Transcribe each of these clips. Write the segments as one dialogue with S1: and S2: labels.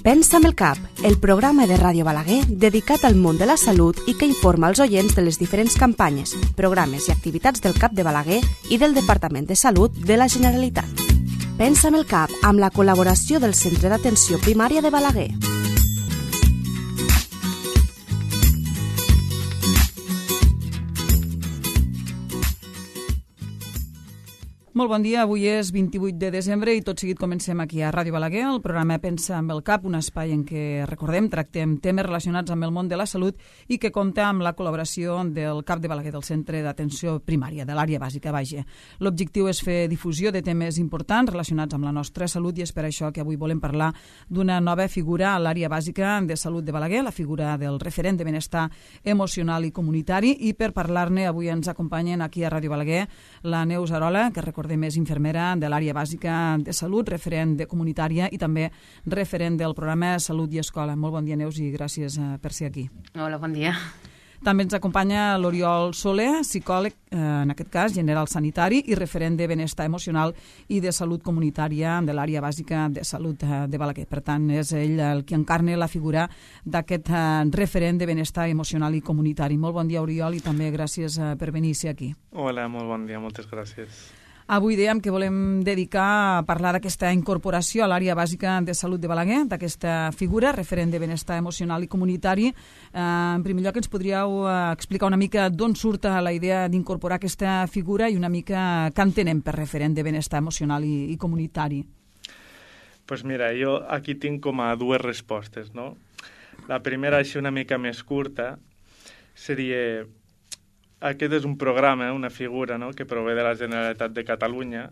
S1: Pensa amb el cap, el programa de Ràdio Balaguer dedicat al món de la salut i que informa els oients de les diferents campanyes, programes i activitats del CAP de Balaguer i del Departament de Salut de la Generalitat. Pensa amb el cap amb la col·laboració del Centre d'Atenció Primària de Balaguer.
S2: Molt bon dia, avui és 28 de desembre i tot seguit comencem aquí a Ràdio Balaguer, el programa Pensa amb el cap, un espai en què, recordem, tractem temes relacionats amb el món de la salut i que compta amb la col·laboració del CAP de Balaguer, del Centre d'Atenció Primària, de l'àrea bàsica, vaja. L'objectiu és fer difusió de temes importants relacionats amb la nostra salut i és per això que avui volem parlar d'una nova figura a l'àrea bàsica de salut de Balaguer, la figura del referent de benestar emocional i comunitari, i per parlar-ne avui ens acompanyen aquí a Ràdio Balaguer la Neus Arola, que recordem és infermera de l'àrea bàsica de salut, referent de comunitària i també referent del programa Salut i Escola. Molt bon dia, Neus, i gràcies per ser aquí.
S3: Hola, bon dia.
S2: També ens acompanya l'Oriol Soler, psicòleg, en aquest cas, general sanitari i referent de benestar emocional i de salut comunitària de l'àrea bàsica de salut de Balaguer. Per tant, és ell el que encarna la figura d'aquest referent de benestar emocional i comunitari. Molt bon dia, Oriol, i també gràcies per venir a ser aquí.
S4: Hola, molt bon dia, moltes gràcies.
S2: Avui dèiem que volem dedicar a parlar d'aquesta incorporació a l'àrea bàsica de salut de Balaguer, d'aquesta figura, referent de benestar emocional i comunitari. En primer lloc, ens podríeu explicar una mica d'on surt la idea d'incorporar aquesta figura i una mica què entenem per referent de benestar emocional i comunitari?
S4: Pues mira, jo aquí tinc com a dues respostes, no? La primera, així una mica més curta, seria... Aquest és un programa, una figura, no?, que prové de la Generalitat de Catalunya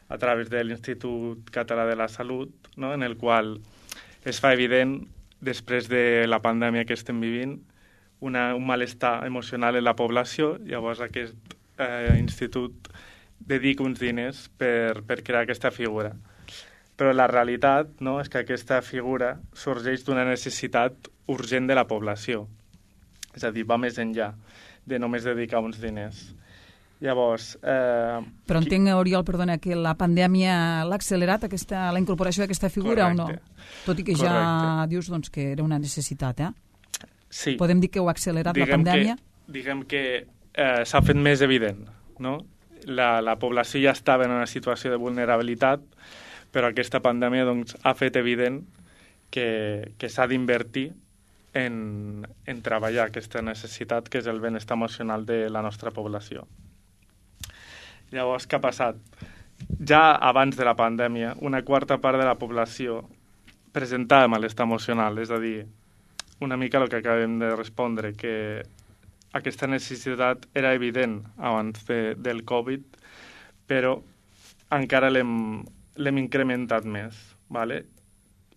S4: a través de l'Institut Català de la Salut, no?, en el qual es fa evident, després de la pandèmia que estem vivint, un malestar emocional en la població. Llavors aquest institut dedica uns diners per crear aquesta figura. Però la realitat, no?, és que aquesta figura sorgeix d'una necessitat urgent de la població. És a dir, va més enllà de només dedicar uns diners. Llavors...
S2: Però entenc, Oriol, perdona, que la pandèmia l'ha accelerat, la incorporació d'aquesta figura. Correcte. O no? Tot i que ja dius doncs, que era una necessitat,
S4: Sí.
S2: Podem dir que ho ha accelerat la pandèmia?
S4: Diguem que s'ha fet més evident, no? La població ja estava en una situació de vulnerabilitat, però aquesta pandèmia doncs, ha fet evident que s'ha d'invertir en treballar aquesta necessitat que és el benestar emocional de la nostra població. Llavors, què ha passat? Ja abans de la pandèmia, una quarta part de la població presentava malestar emocional, és a dir, una mica el que acabem de respondre, que aquesta necessitat era evident abans del Covid, però encara l'hem incrementat més, ¿vale?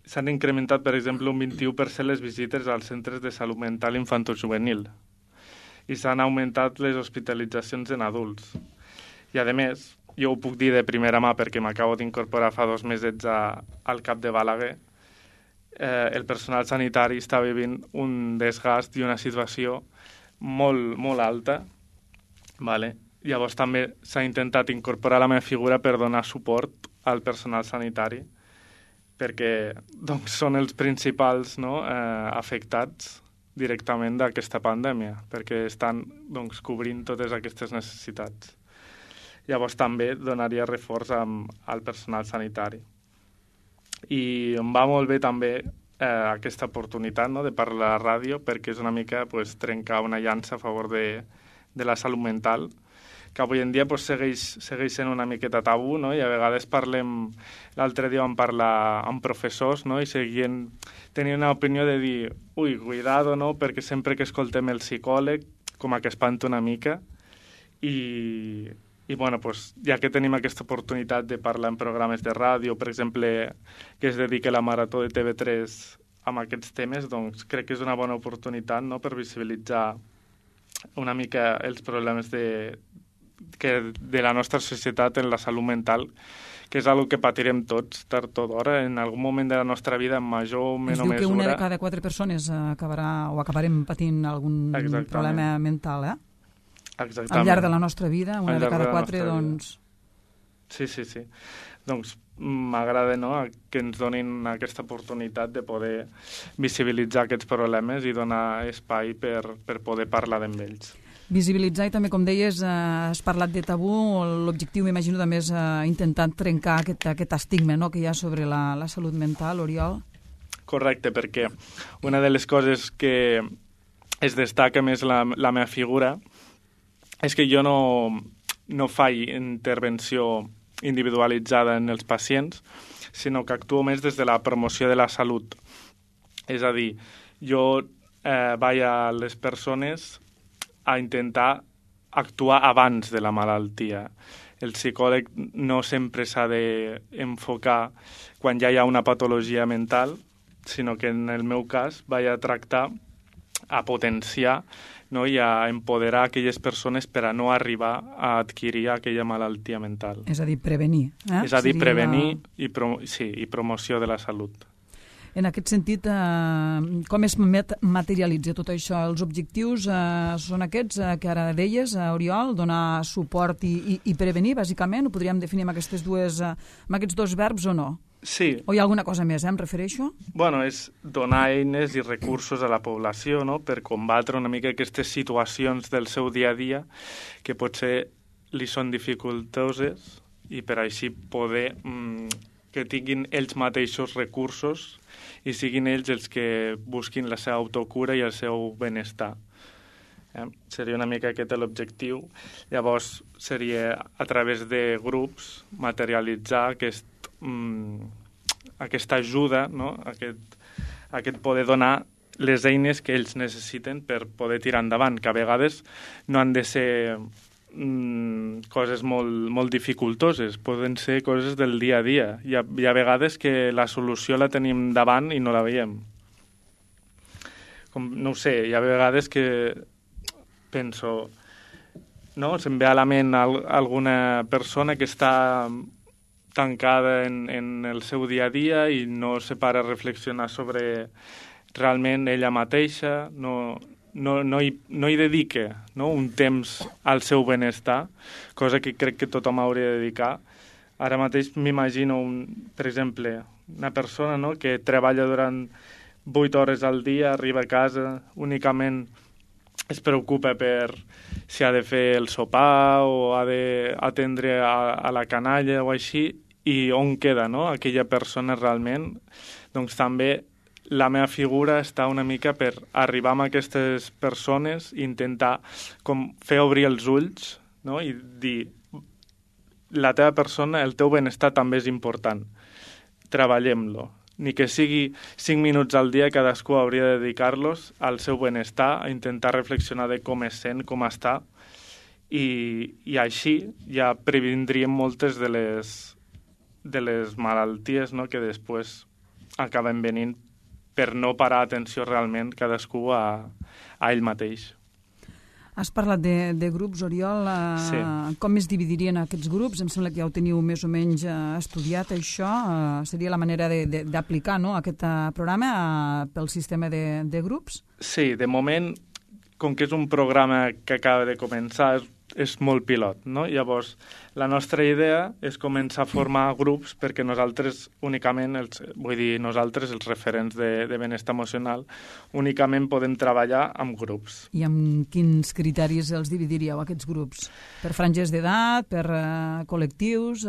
S4: S'han incrementat, per exemple, un 21% les visites als centres de salut mental infantojuvenil i s'han augmentat les hospitalitzacions en adults. I, a més, jo ho puc dir de primera mà perquè m'acabo d'incorporar fa 2 mesos al CAP de Balaguer, el personal sanitari està vivint un desgast i una situació molt, molt alta. Vale? Llavors també s'ha intentat incorporar la meva figura per donar suport al personal sanitari, perquè doncs, són els principals, no, afectats directament d'aquesta pandèmia, perquè estan doncs, cobrint totes aquestes necessitats. Llavors també donaria reforç al personal sanitari. I em va molt bé també aquesta oportunitat, no, de parlar a la ràdio, perquè és una mica pues, trencar una llança a favor de la salut mental, que avui en dia pues, segueix sent una miqueta tabú, no? I a vegades parlem... L'altre dia vam parlar amb professors, no?, i tenien una opinió de dir ui, cuidado, no?, perquè sempre que escoltem el psicòleg com que espanta una mica i bueno, pues, ja que tenim aquesta oportunitat de parlar en programes de ràdio, per exemple, que es dedica la Marató de TV3 amb aquests temes, doncs crec que és una bona oportunitat, no?, per visibilitzar una mica els problemes de la nostra societat en la salut mental, que és una que patirem tots tard o d'hora, en algun moment de la nostra vida, en major o menor mesura.
S2: Es diu que una de cada 4 persones acabarem patint algun problema mental,
S4: Exactament.
S2: Al llarg de la nostra vida, una de cada 4, doncs...
S4: Sí. doncs m'agrada, no?, que ens donin aquesta oportunitat de poder visibilitzar aquests problemes i donar espai per poder parlar amb ells.
S2: Visibilitzar i també, com deies, has parlat de tabú, l'objectiu m'imagino també és intentar trencar aquest estigma, no?, que hi ha sobre la salut mental, Oriol.
S4: Correcte, perquè una de les coses que es destaca més la meva figura és que jo no faig intervenció individualitzada en els pacients, sinó que actuo més des de la promoció de la salut. És a dir, jo vaig a les persones a intentar actuar abans de la malaltia. El psicòleg no sempre s'ha d'enfocar quan ja hi ha una patologia mental, sinó que en el meu cas vaig a tractar a potenciar, no?, i a empoderar aquelles persones per a no arribar a adquirir aquella malaltia mental.
S2: És a dir, prevenir.
S4: És a dir, prevenir i promoció de la salut.
S2: En aquest sentit, com es materialitza tot això? Els objectius són aquests que ara deies, Oriol, donar suport i prevenir, bàsicament? Ho podríem definir amb aquests dos verbs o no?
S4: Sí.
S2: O hi ha alguna cosa més, em refereixo?
S4: Bueno, és donar eines i recursos a la població, no?, per combatre una mica aquestes situacions del seu dia a dia que potser li són dificultoses i per així poder que tinguin ells mateixos recursos i siguin ells els que busquin la seva autocura i el seu benestar. Seria una mica aquest l'objectiu. Llavors seria a través de grups materialitzar aquesta ajuda, no?, aquest poder donar les eines que ells necessiten per poder tirar endavant, que a vegades no han de ser coses molt dificultoses, poden ser coses del dia a dia. Hi ha vegades que la solució la tenim davant i no la veiem. No ho sé, hi ha vegades que penso, no?, se'm ve a la ment alguna persona que està tancada en el seu dia a dia i no se para a reflexionar sobre realment ella mateixa, no hi dedica, no?, un temps al seu benestar, cosa que crec que tothom hauria de dedicar. Ara mateix m'imagino, per exemple, una persona, no?, que treballa durant 8 hores al dia, arriba a casa, únicament es preocupa per si ha de fer el sopar o ha d'atendre a la canalla o així, i on queda, no?, aquella persona realment. Doncs també la meva figura està una mica per arribar a aquestes persones i intentar com fer obrir els ulls, no?, i dir, la teva persona, el teu benestar també és important, treballem-lo. Ni que sigui 5 minuts al dia, cadascú hauria de dedicar-los al seu benestar, a intentar reflexionar de com es sent, com està, i així ja previndríem moltes de les malalties, no?, que després acaben venint per no parar atenció realment cadascú a ell mateix.
S2: Has parlat de grups, Oriol.
S4: Sí.
S2: Com es dividirien aquests grups? Em sembla que ja ho teniu més o menys estudiat, això. Seria la manera d'aplicar, no?, aquest programa pel sistema de grups? Sí,
S4: de moment, com que és un programa que acaba de començar, és molt pilot, no? Llavors, la nostra idea és començar a formar grups perquè nosaltres únicament, nosaltres, els referents de benestar emocional, únicament podem treballar amb grups.
S2: I amb quins criteris els dividiríeu, aquests grups? Per franges d'edat, per col·lectius?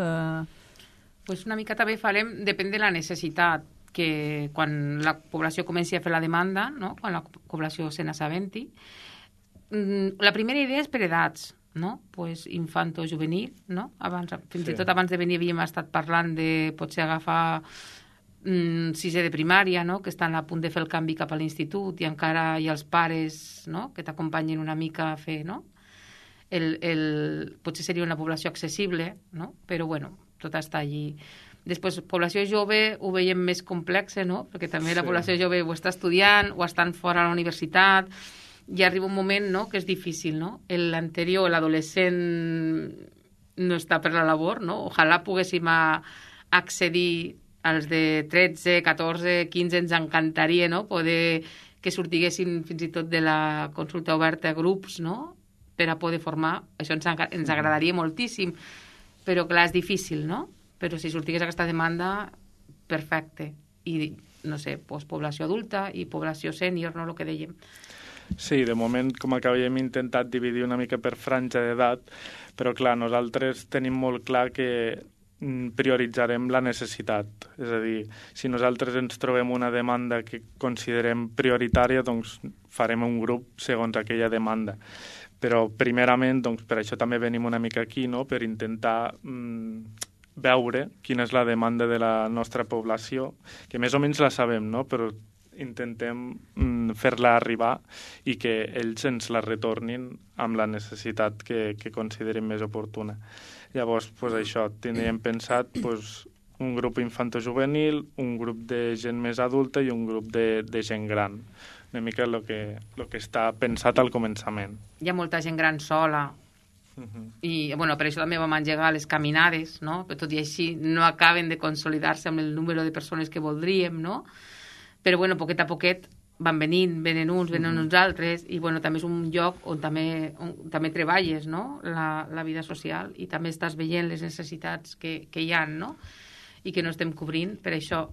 S3: Pues una mica també farem, depèn de la necessitat, que quan la població comenci a fer la demanda, no?, quan la població se n'assabenti. La primera idea és per edats, no? Pues infanto-juvenil, no? Fins i tot abans de venir havíem estat parlant de potser agafar 6è de primària, no?, que estan a punt de fer el canvi cap a l'institut i encara hi ha els pares, no?, que t'acompanyen una mica a fer, no? Potser seria una població accessible, no? Però, bueno, tot està allí. Després, població jove ho veiem més complexa, no?, perquè també la població jove ho està estudiant o estan fora a la universitat. I arriba un moment, no?, que és difícil, no? L'anterior, l'adolescent no està per la labor, no? Ojalà poguéssim accedir als de 13, 14, 15, ens encantaria, no?, poder que sortiguessin fins i tot de la consulta oberta a grups, no?, per a poder formar. Això ens agradaria moltíssim, però clar, és difícil, no? però si sortigués aquesta demanda, perfecte. I, no sé, doncs, població adulta i població sènior, no?, el que dèiem.
S4: Sí, de moment, com que havíem intentat dividir una mica per franja d'edat, però clar, nosaltres tenim molt clar que prioritzarem la necessitat. És a dir, si nosaltres ens trobem una demanda que considerem prioritària, doncs farem un grup segons aquella demanda. Però primerament, doncs, per això també venim una mica aquí, no?, per intentar veure quina és la demanda de la nostra població, que més o menys la sabem, no?, però intentem fer-la arribar i que ells ens la retornin amb la necessitat que considerin més oportuna. Llavors, doncs això, tindríem pensat un grup infantojuvenil, un grup de gent més adulta i un grup de gent gran. Una mica el que està pensat al començament.
S3: Hi ha molta gent gran sola, i bueno, per això també vam engegar les caminades, no? Però tot i així no acaben de consolidar-se amb el número de persones que voldríem, no? Però bueno, poquet a poquet venen uns, venen uns altres, i bueno, també és un lloc on també treballes, no?, la vida social, i també estàs veient les necessitats que hi ha, no?, i que no estem cobrint. Per això,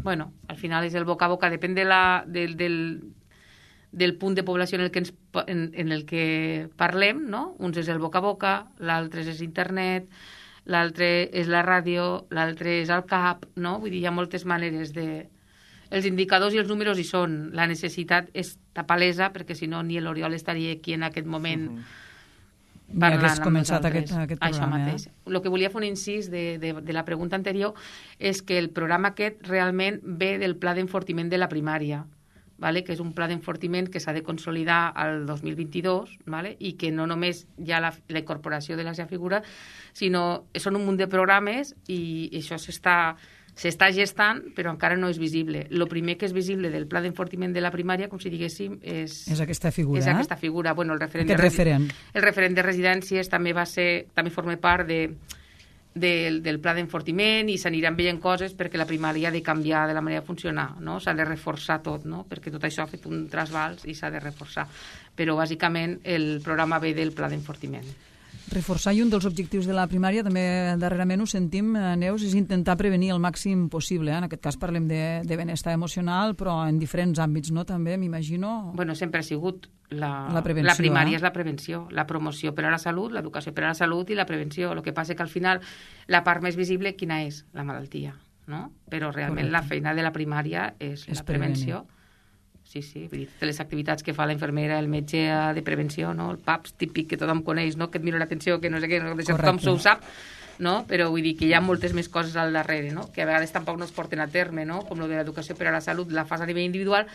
S3: bueno, al final és el boca a boca, depèn del punt de població en el que parlem, no? Uns és el boca a boca, l'altre és internet, l'altre és la ràdio, l'altre és el CAP, no? Vull dir, hi ha moltes maneres de... Els indicadors i els números hi són. La necessitat està palesa, perquè si no ni l'Oriol estaria aquí en aquest moment parlant amb nosaltres.
S2: Aquest
S3: Això
S2: programa,
S3: mateix. El que volia fer un incís de la pregunta anterior és que el programa aquest realment ve del pla d'enfortiment de la primària, vale? Que és un pla d'enfortiment que s'ha de consolidar al 2022, vale? I que no només hi ha la incorporació de la seva figura, sinó són un munt de programes i això s'està gestant, però encara no és visible. El primer que és visible del pla d'enfortiment de la primària, com si diguéssim, és
S2: aquesta figura.
S3: És aquesta figura. Bueno, el referent de residències també forma part del pla d'enfortiment i s'aniran veient coses perquè la primària ha de canviar de la manera de funcionar, no? S'ha de reforçar tot, no? Perquè tot això ha fet un trasbals i s'ha de reforçar. Però, bàsicament, el programa ve del pla d'enfortiment.
S2: Reforçar, i un dels objectius de la primària, també darrerament ho sentim, Neus, és intentar prevenir el màxim possible. En aquest cas parlem de benestar emocional, però en diferents àmbits, no? També, m'imagino...
S3: Bueno, sempre ha sigut la
S2: prevenció,
S3: primària és la prevenció, la promoció per a la salut, l'educació per a la salut i la prevenció. El que passa que al final la part més visible, quina és? La malaltia, no? Però realment la feina de la primària és la prevenció. Sí, vull dir, les activitats que fa la infermera, el metge de prevenció, no? El PAPS típic que tothom coneix, no? Que et mira l'atenció, que no sé què, no? Tothom s'ho sap, no? Però vull dir que hi ha moltes més coses al darrere, no? Que a vegades tampoc no es porten a terme, no? Com lo de l'educació per a la salut, la fas a nivell individual,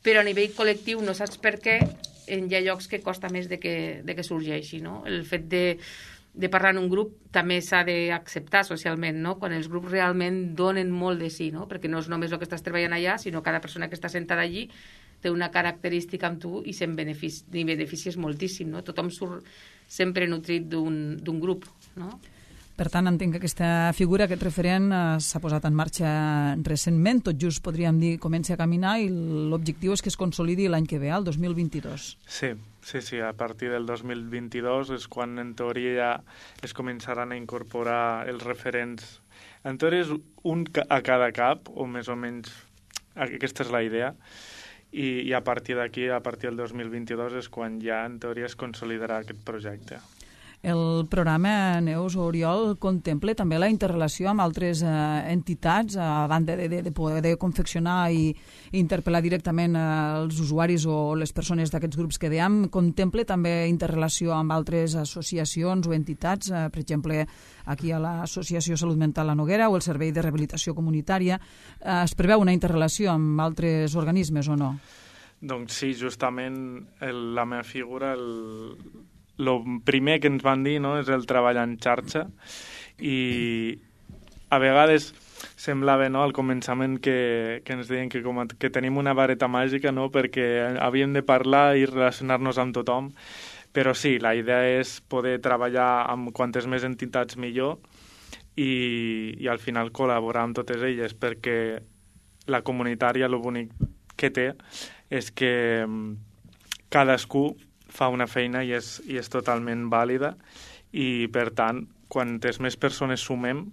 S3: però a nivell col·lectiu no saps per què hi ha llocs que costa més de que sorgeixi, no? El fet de parlar en un grup també s'ha d'acceptar socialment, no? Quan els grups realment donen molt de sí, no? Perquè no és només el que estàs treballant allà, sinó cada persona que està sentada allí té una característica amb tu i se'n beneficies moltíssim, no? Tothom surt sempre nutrit d'un grup, no?
S2: Per tant, entenc que aquesta figura, aquest referent, s'ha posat en marxa recentment, tot just podríem dir comença a caminar, i l'objectiu és que es consolidi l'any que ve, el 2022.
S4: Sí, a partir del 2022 és quan en teoria ja es començaran a incorporar els referents. En teoria és un a cada CAP, o més o menys aquesta és la idea, i a partir d'aquí, a partir del 2022, és quan ja en teoria es consolidarà aquest projecte.
S2: El programa, Neus o Oriol, contempla també la interrelació amb altres entitats, a banda de poder confeccionar i interpel·lar directament els usuaris o les persones d'aquests grups que dèiem. Contempla també interrelació amb altres associacions o entitats, per exemple, aquí a l'Associació Salut Mental La Noguera o el Servei de Rehabilitació Comunitària. Es preveu una interrelació amb altres organismes o no?
S4: Doncs sí, justament la meva figura... El primer que ens van dir, no, és el treball en xarxa, i a vegades semblava, no, al començament que ens deien que tenim una vareta màgica, no, perquè havíem de parlar i relacionar-nos amb tothom, però sí, la idea és poder treballar amb quantes més entitats millor i al final col·laborar amb totes elles, perquè la comunitària el bonic que té és que cadascú fa una feina i és totalment vàlida, i per tant, quantes més persones sumem,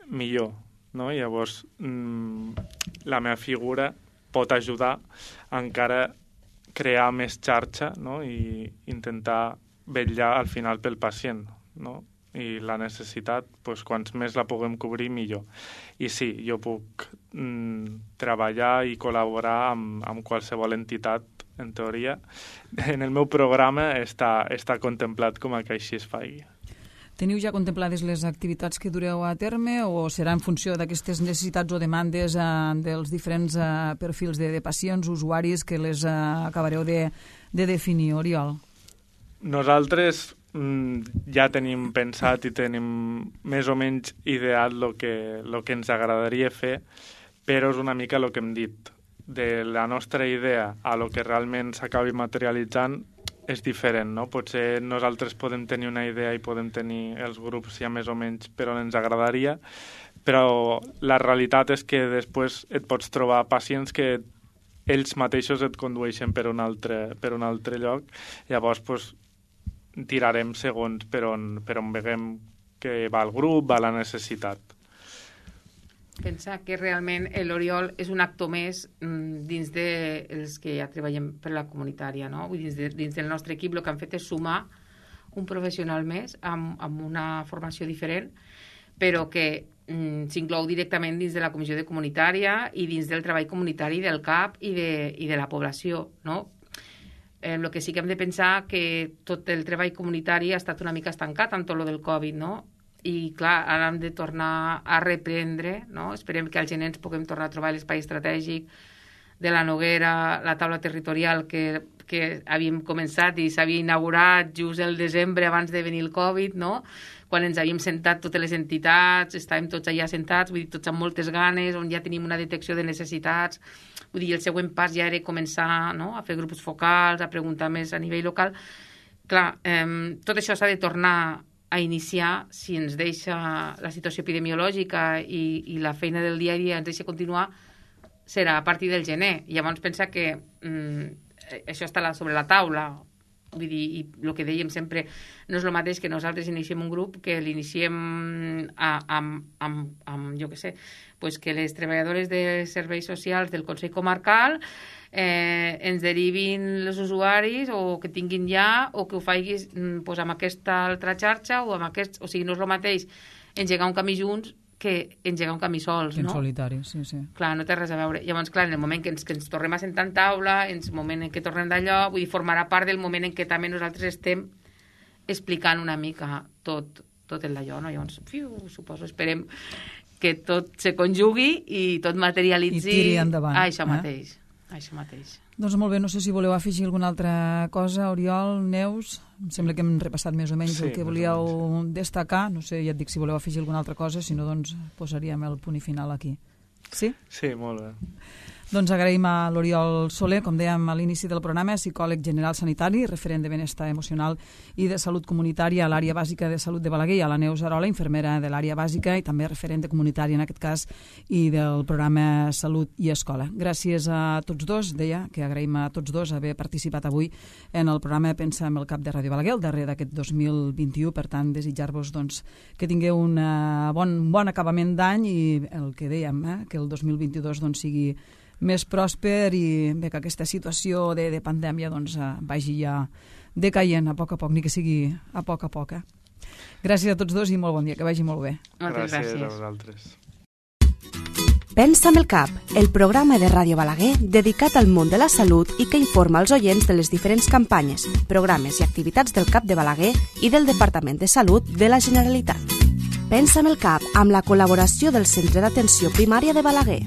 S4: millor, no? Llavors, la meva figura pot ajudar a encara crear més xarxa, no? I intentar vetllar al final pel pacient, no? I la necessitat, doncs, quants més la puguem cobrir, millor. I sí, jo puc treballar i col·laborar amb qualsevol entitat, en teoria. En el meu programa està contemplat com a que així es faci.
S2: Teniu ja contemplades les activitats que dureu a terme o serà en funció d'aquestes necessitats o demandes dels diferents perfils de pacients, usuaris, que les acabareu de definir, Oriol?
S4: Nosaltres ja tenim pensat i tenim més o menys ideat el que ens agradaria fer, però és una mica el que hem dit. De la nostra idea a lo que realment s'acabi materialitzant és diferent, no? Potser nosaltres podem tenir una idea i podem tenir els grups ja més o menys per on ens agradaria, però la realitat és que després et pots trobar pacients que ells mateixos et condueixen per un altre lloc. Llavors, doncs, tirarem segons per on veiem que va el grup, va la necessitat.
S3: Pensa que realment l'Oriol és un actor més dins dels que ja treballem per la comunitària, no? Vull dir, dins del nostre equip el que han fet és sumar un professional més amb una formació diferent, però que s'inclou directament dins de la comissió de comunitària i dins del treball comunitari del CAP i de la població, no? El que sí que hem de pensar que tot el treball comunitari ha estat una mica estancat amb tot el del Covid, no? I clar, ara hem de tornar a reprendre, no? Esperem que al gener ens puguem tornar a trobar l'espai estratègic de la Noguera, la taula territorial que havíem començat i s'havia inaugurat just el desembre abans de venir el Covid, no? Quan ens havíem sentat totes les entitats, estàvem tots allà sentats, vull dir, tots amb moltes ganes, on ja tenim una detecció de necessitats. Vull dir, el següent pas ja era començar, no?, a fer grups focals, a preguntar més a nivell local. Clar, tot això s'ha de tornar a iniciar, si ens deixa la situació epidemiològica i la feina del dia a dia ens deixa continuar, serà a partir del gener. Llavors pensa que això està sobre la taula. Vull dir, i el que dèiem sempre, no és el mateix que nosaltres iniciem un grup que l'iniciem amb jo què sé, pues que les treballadores de serveis socials del Consell Comarcal ens derivin els usuaris o que tinguin ja, o que ho facis pues, amb aquesta altra xarxa o amb aquest... O sigui, no és el mateix engegar un camí junts que engegar un camí sols, no?
S2: En solitari, sí, sí.
S3: Clar, no té res a veure. Llavors, clar, en el moment que ens tornem a sentar en taula, en el moment en què tornem d'allò, vull dir, formarà part del moment en què també nosaltres estem explicant una mica tot el d'allò, no? Llavors, suposo, esperem que tot se conjugui i tot materialitzi...
S2: I tiri endavant.
S3: Això mateix.
S2: Doncs molt bé, no sé si voleu afegir alguna altra cosa, Oriol, Neus. Em sembla que hem repassat més o menys el que volíeu destacar. No sé, ja et dic si voleu afegir alguna altra cosa, si no, doncs posaríem el punt i final aquí. Sí?
S4: Sí, molt bé.
S2: Doncs agraïm a l'Oriol Soler, com dèiem a l'inici del programa, psicòleg general sanitari, referent de benestar emocional i de salut comunitària a l'àrea bàsica de salut de Balaguer, i a la Neus Arola, infermera de l'àrea bàsica i també referent de comunitària en aquest cas i del programa Salut i Escola. Gràcies a tots dos, deia que agraïm a tots dos haver participat avui en el programa Pensa en el Cap de Ràdio Balaguer, el darrer d'aquest 2021, per tant desitjar-vos doncs, que tingueu un bon acabament d'any i el que dèiem, que el 2022 doncs, sigui més pròsper i bé, que aquesta situació de pandèmia doncs, vagi ja decaient a poc, ni que sigui a poc. Gràcies a tots dos i molt bon dia, que vagi molt bé.
S3: Moltes gràcies.
S4: A vosaltres.
S1: Pensa amb el Cap, el programa de Ràdio Balaguer dedicat al món de la salut i que informa els oients de les diferents campanyes, programes i activitats del CAP de Balaguer i del Departament de Salut de la Generalitat. Pensa amb el Cap, amb la col·laboració del Centre d'Atenció Primària de Balaguer.